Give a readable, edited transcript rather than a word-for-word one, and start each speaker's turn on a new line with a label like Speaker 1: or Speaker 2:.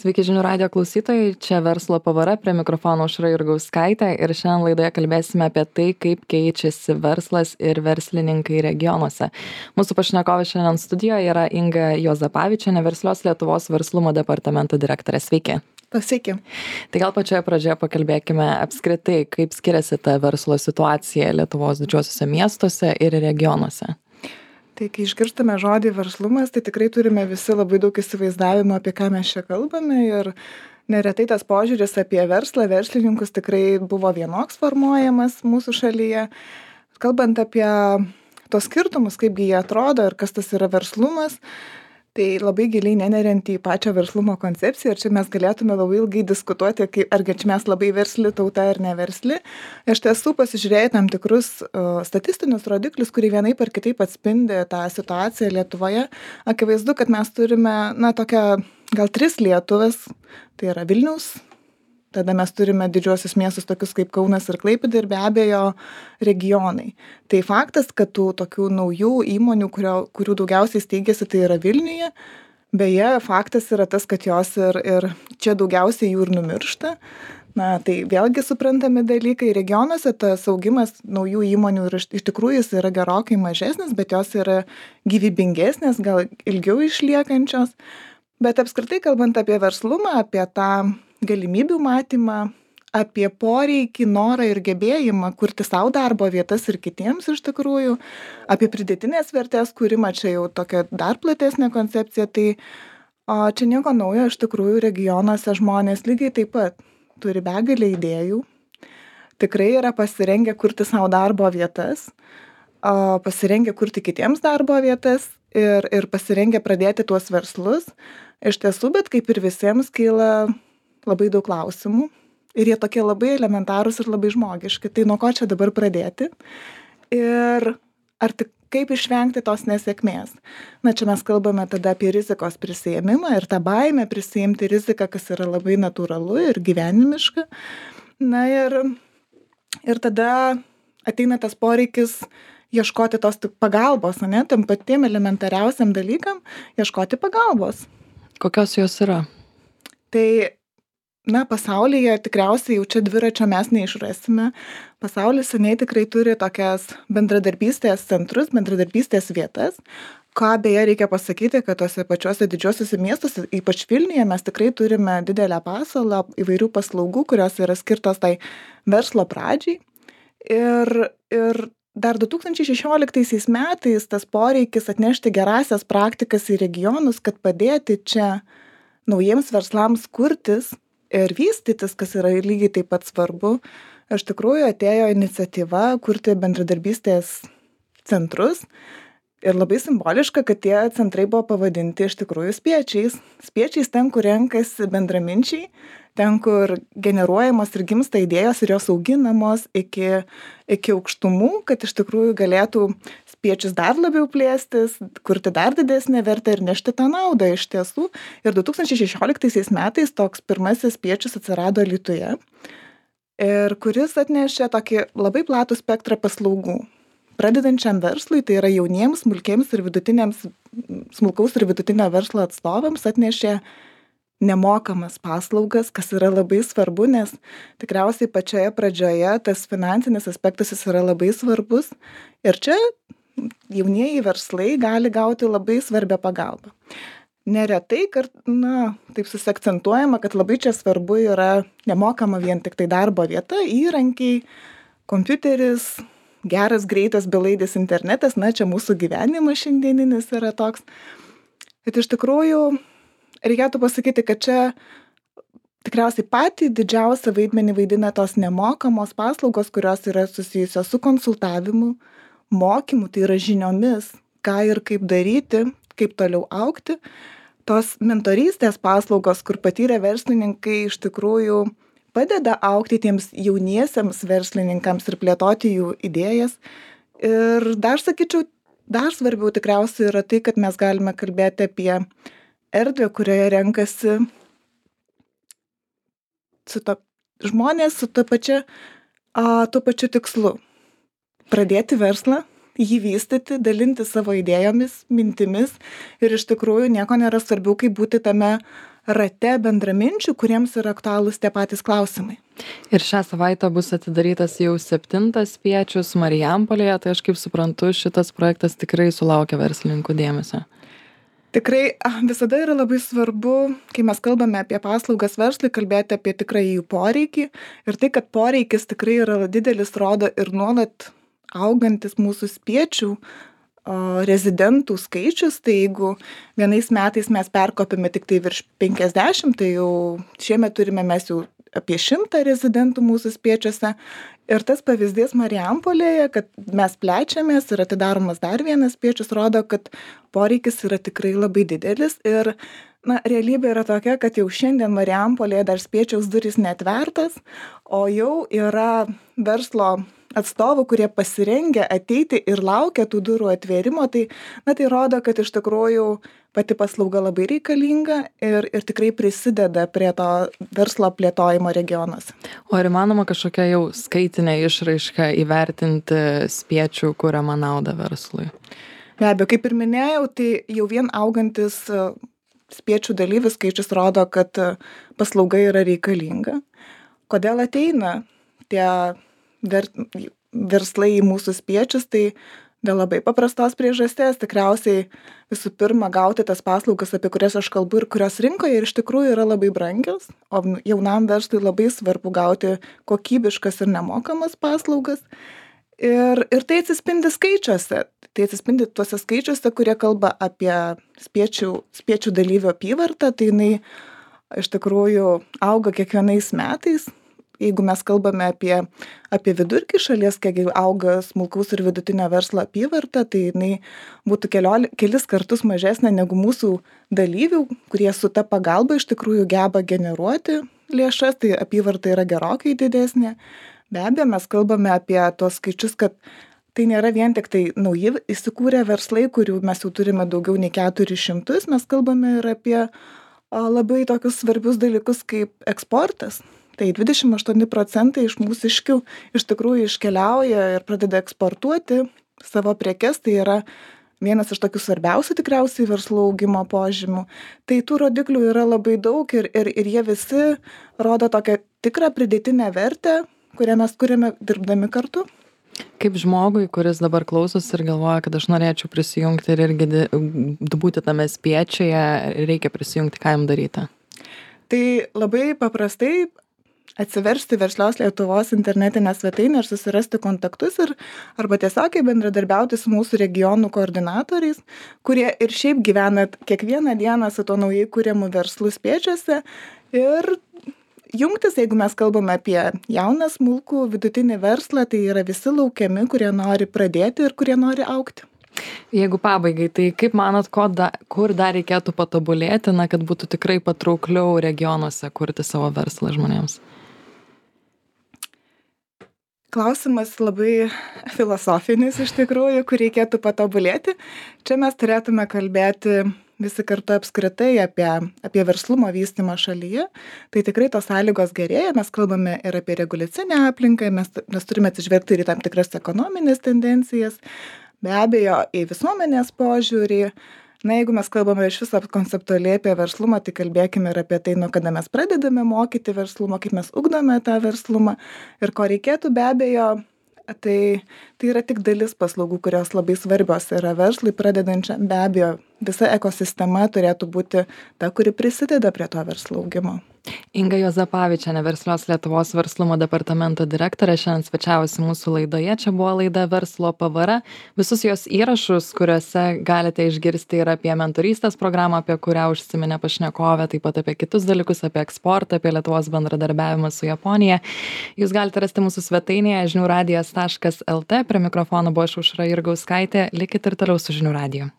Speaker 1: Sveiki žinių radijo klausytojai, čia verslo pavara, prie mikrofono Aušra Jurgauskaitė ir šiandien laidoje kalbėsime apie tai, kaip keičiasi verslas ir verslininkai regionuose. Mūsų pašnekovė šiandien studijoje yra Inga Juozapavičienė, Verslios Lietuvos verslumo departamento direktorė. Sveiki.
Speaker 2: Sveiki.
Speaker 1: Tai gal pačioje pradžioje pakalbėkime apskritai, kaip skiriasi ta verslo situacija Lietuvos didžiuosiuose miestuose ir regionuose.
Speaker 2: Tai kai išgirstame žodį verslumas, tai tikrai turime visi labai daug įsivaizdavimo, apie ką mes čia kalbame ir neretai tas požiūris apie verslą, verslininkus tikrai buvo vienoks formuojamas mūsų šalyje. Kalbant apie tos skirtumus, kaipgi jie atrodo ir kas tas yra verslumas, tai labai giliai neneriant į pačią verslumo koncepciją ir čia mes galėtume labai ilgai diskutuoti, argi čia mes labai versli tauta ar neversli. Iš tiesų pasižiūrėję tam tikrus statistinius rodiklius, kurie vienaip ar kitaip atspindi tą situaciją Lietuvoje, akivaizdu, kad mes turime, tokią gal 3 Lietuvas, tai yra Vilniaus, tada mes turime didžiuosius miestus tokius kaip Kaunas ir Klaipėda ir be abejo regionai. Tai faktas, kad tų tokių naujų įmonių, kurių daugiausiai steigiasi, tai yra Vilniuje. Beje, faktas yra tas, kad jos ir čia daugiausiai jų ir numiršta. Tai vėlgi suprantami dalykai. Regionuose tas augimas naujų įmonių iš tikrųjų jis yra gerokai mažesnis, bet jos yra gyvybingesnės, gal ilgiau išliekančios. Bet apskritai kalbant apie verslumą, apie tą galimybių matymą, apie poreikį, norą ir gebėjimą kurti savo darbo vietas ir kitiems iš tikrųjų, apie pridėtinės vertės kūrimą, čia jau tokia dar platesnė koncepcija, tai čia nieko naujo, iš tikrųjų regionuose žmonės lygiai taip pat turi begalę idėjų, tikrai yra pasirengę kurti savo darbo vietas, pasirengę kurti kitiems darbo vietas ir pasirengę pradėti tuos verslus. Iš tiesų, bet kaip ir visiems kyla labai daug klausimų ir jie tokie labai elementarūs ir labai žmogiški. Tai nuo ko čia dabar pradėti ir kaip išvengti tos nesėkmės. Čia mes kalbame tada apie rizikos prisiėmimą ir tą baimę prisiimti riziką, kas yra labai natūralu ir gyvenimiška. Ir tada ateina tas poreikis ieškoti tos pagalbos, tam patiem elementariausiam dalykam ieškoti pagalbos.
Speaker 1: Kokios jos yra?
Speaker 2: Tai pasaulyje tikriausiai jau čia dviračio mes neišrasime. Pasaulis seniai tikrai turi tokias bendradarbystės centrus, bendradarbystės vietas. Ką beje reikia pasakyti, kad tose pačiuose didžiuosiuose miestuose, ypač Vilniuje, mes tikrai turime didelę pasiūlą įvairių paslaugų, kurios yra skirtos tai verslo pradžiai. Ir dar 2016 metais tas poreikis atnešti gerąsias praktikas į regionus, kad padėti čia naujiems verslams kurtis ir vystytis, kas yra lygiai taip pat svarbu. Iš tikrųjų atėjo iniciatyva kurti bendradarbystės centrus ir labai simboliška, kad tie centrai buvo pavadinti iš tikrųjų spiečiais. Spiečiais ten, kur renkasi bendraminčiai, ten, kur generuojamos ir gimsta idėjos ir jos auginamos iki aukštumų, kad iš tikrųjų galėtų spiečius dar labiau plėstis, kurti dar didesnę vertę ir nešti tą naudą iš tiesų. Ir 2016 metais toks pirmasis spiečius atsirado Alytuje, ir kuris atnešė tokį labai platų spektrą paslaugų. Pradedančiam verslui, tai yra jauniems, smulkiems ir smulkaus ir vidutinio verslo atstovams atnešė nemokamas paslaugas, kas yra labai svarbu, nes tikriausiai pačioje pradžioje tas finansinis aspektas jis yra labai svarbus. Ir čia jaunieji verslai gali gauti labai svarbią pagalbą. Neretai, taip susiakcentuojama, kad labai čia svarbu yra nemokama vien tik tai darbo vieta, įrankiai, kompiuteris, geras, greitas, belaidis internetas, čia mūsų gyvenimas šiandieninis yra toks. Bet iš tikrųjų reikėtų pasakyti, kad čia tikriausiai patį didžiausią vaidmenį vaidina tos nemokamos paslaugos, kurios yra susijusios su konsultavimu, mokymu, tai yra žiniomis, ką ir kaip daryti, kaip toliau augti. Tos mentorystės paslaugos, kur patyrę verslininkai iš tikrųjų padeda augti tiems jauniesiems verslininkams ir plėtoti jų idėjas. Ir dar sakyčiau, dar svarbiau tikriausiai yra tai, kad mes galime kalbėti apie erdvę, kurioje renkasi žmonės su tuo pačiu tikslu. Pradėti verslą, jį vystyti, dalinti savo idėjomis, mintimis ir iš tikrųjų nieko nėra svarbiau, kaip būti tame rate bendraminčių, kuriems yra aktualūs tie patys klausimai.
Speaker 1: Ir šią savaitę bus atidarytas jau 7 spiečius Marijampolėje, tai aš kaip suprantu, šitas projektas tikrai sulaukia verslininkų dėmesio.
Speaker 2: Tikrai visada yra labai svarbu, kai mes kalbame apie paslaugas verslui, kalbėti apie tikrąjį jų poreikį. Ir tai, kad poreikis tikrai yra didelis, rodo ir nuolat augantis mūsų spiečių rezidentų skaičius. Tai jeigu vienais metais mes perkopėme tik tai virš 50, tai jau šiemet turime mes jau apie 100 rezidentų mūsų spiečiuose. Ir tas pavyzdys Marijampolėje, kad mes plečiamės ir atidaromas dar vienas spiečius, rodo, kad poreikis yra tikrai labai didelis. Ir realybė yra tokia, kad jau šiandien Marijampolėje dar spiečiaus durys neatvertas, o jau yra verslo atstovų, kurie pasirengę ateiti ir laukia tų durų atvėrimo. Tai rodo, kad iš tikrųjų pati paslauga labai reikalinga ir tikrai prisideda prie to verslo plėtojimo regionuose.
Speaker 1: O ar įmanoma kažkokia jau skaitinė išraiška įvertinti spiečių kuriamą naudą verslui?
Speaker 2: Be abejo, kaip ir minėjau, tai jau vien augantis spiečių dalyvių skaičius rodo, kad paslauga yra reikalinga. Kodėl ateina tie verslai į mūsų spiečius? Tai dėl labai paprastos priežasties. Tikriausiai visų pirma gauti tas paslaugas, apie kurias aš kalbu ir kurios rinkoje ir iš tikrųjų yra labai brangios, o jaunam verslui labai svarbu gauti kokybiškas ir nemokamas paslaugas. Ir tai atsispindi skaičiuose. Tai atsispindi tuose skaičiuose, kurie kalba apie spiečių dalyvių apyvartą. Tai jinai iš tikrųjų auga kiekvienais metais. Jeigu mes kalbame apie vidurkį šalies, kiek auga smulkaus ir vidutinio verslo apyvarta, tai jinai būtų kelis kartus mažesnė negu mūsų dalyvių, kurie su ta pagalba iš tikrųjų geba generuoti lėšas, tai apyvarta yra gerokai didesnė. Be abejo, mes kalbame apie tuos skaičius, kad tai nėra vien tik tai nauji įsikūrę verslai, kurių mes jau turime daugiau nei 400, mes kalbame ir apie labai tokius svarbius dalykus kaip eksportas. Tai 28% iš mūsiškių iš tikrųjų iškeliauja ir pradeda eksportuoti savo prekes. Tai yra vienas iš tokių svarbiausių tikriausiai verslo augimo požymių. Tai tų rodiklių yra labai daug ir jie visi rodo tokią tikrą pridėtinę vertę, kurią mes kuriame dirbdami kartu.
Speaker 1: Kaip žmogui, kuris dabar klausosi ir galvoja, kad aš norėčiau prisijungti ir irgi būti tame spiečiuje, reikia prisijungti, ką jam daryti?
Speaker 2: Tai labai paprastai atsiversti Verslios Lietuvos internetinę svetainę ir susirasti kontaktus arba tiesiog bendradarbiauti su mūsų regionų koordinatoriais, kurie ir šiaip gyvena kiekvieną dieną su to naujai kuriamu verslu spiečiuose ir jungtis, jeigu mes kalbame apie jauną smulkų vidutinį verslą, tai yra visi laukiami, kurie nori pradėti ir kurie nori augti.
Speaker 1: Jeigu pabaigai, tai kaip manot, kur dar reikėtų patobulėti, kad būtų tikrai patraukliau regionuose kurti savo verslą žmonėms?
Speaker 2: Klausimas labai filosofinis iš tikrųjų, kur reikėtų patobulėti. Čia mes turėtume kalbėti visi kartu apskritai apie verslumo vystymą šalyje. Tai tikrai tos sąlygos gerėja, mes kalbame ir apie reguliacinę aplinką, mes turime atsižvelgti ir į tam tikras ekonominės tendencijas, be abejo į visuomenės požiūrį. Jeigu mes kalbame iš viso konceptualiai apie verslumą, tai kalbėkime ir apie tai, nuo kada mes pradedame mokyti verslumą, kaip mes ugdome tą verslumą ir ko reikėtų be abejo. Tai yra tik dalis paslaugų, kurios labai svarbios yra verslui pradedančiam. Be abejo, visa ekosistema turėtų būti ta, kuri prisideda prie to verslo augimo.
Speaker 1: Inga Juozapavičienė, Verslios Lietuvos verslumo departamento direktorė, šiandien svečiavosi mūsų laidoje. Čia buvo laida Verslo pavara. Visus jos įrašus, kuriuose galite išgirsti ir apie mentorystės programą, apie kurią užsiminė pašnekovė, taip pat apie kitus dalykus, apie eksportą, apie Lietuvos bendradarbiavimą su Japonija. Jūs galite rasti mūsų svetainėje žiniųradijas.lt. Prie mikrofono buvo Aušra Jurgauskaitė. Likit ir toliau su Žinių radiju.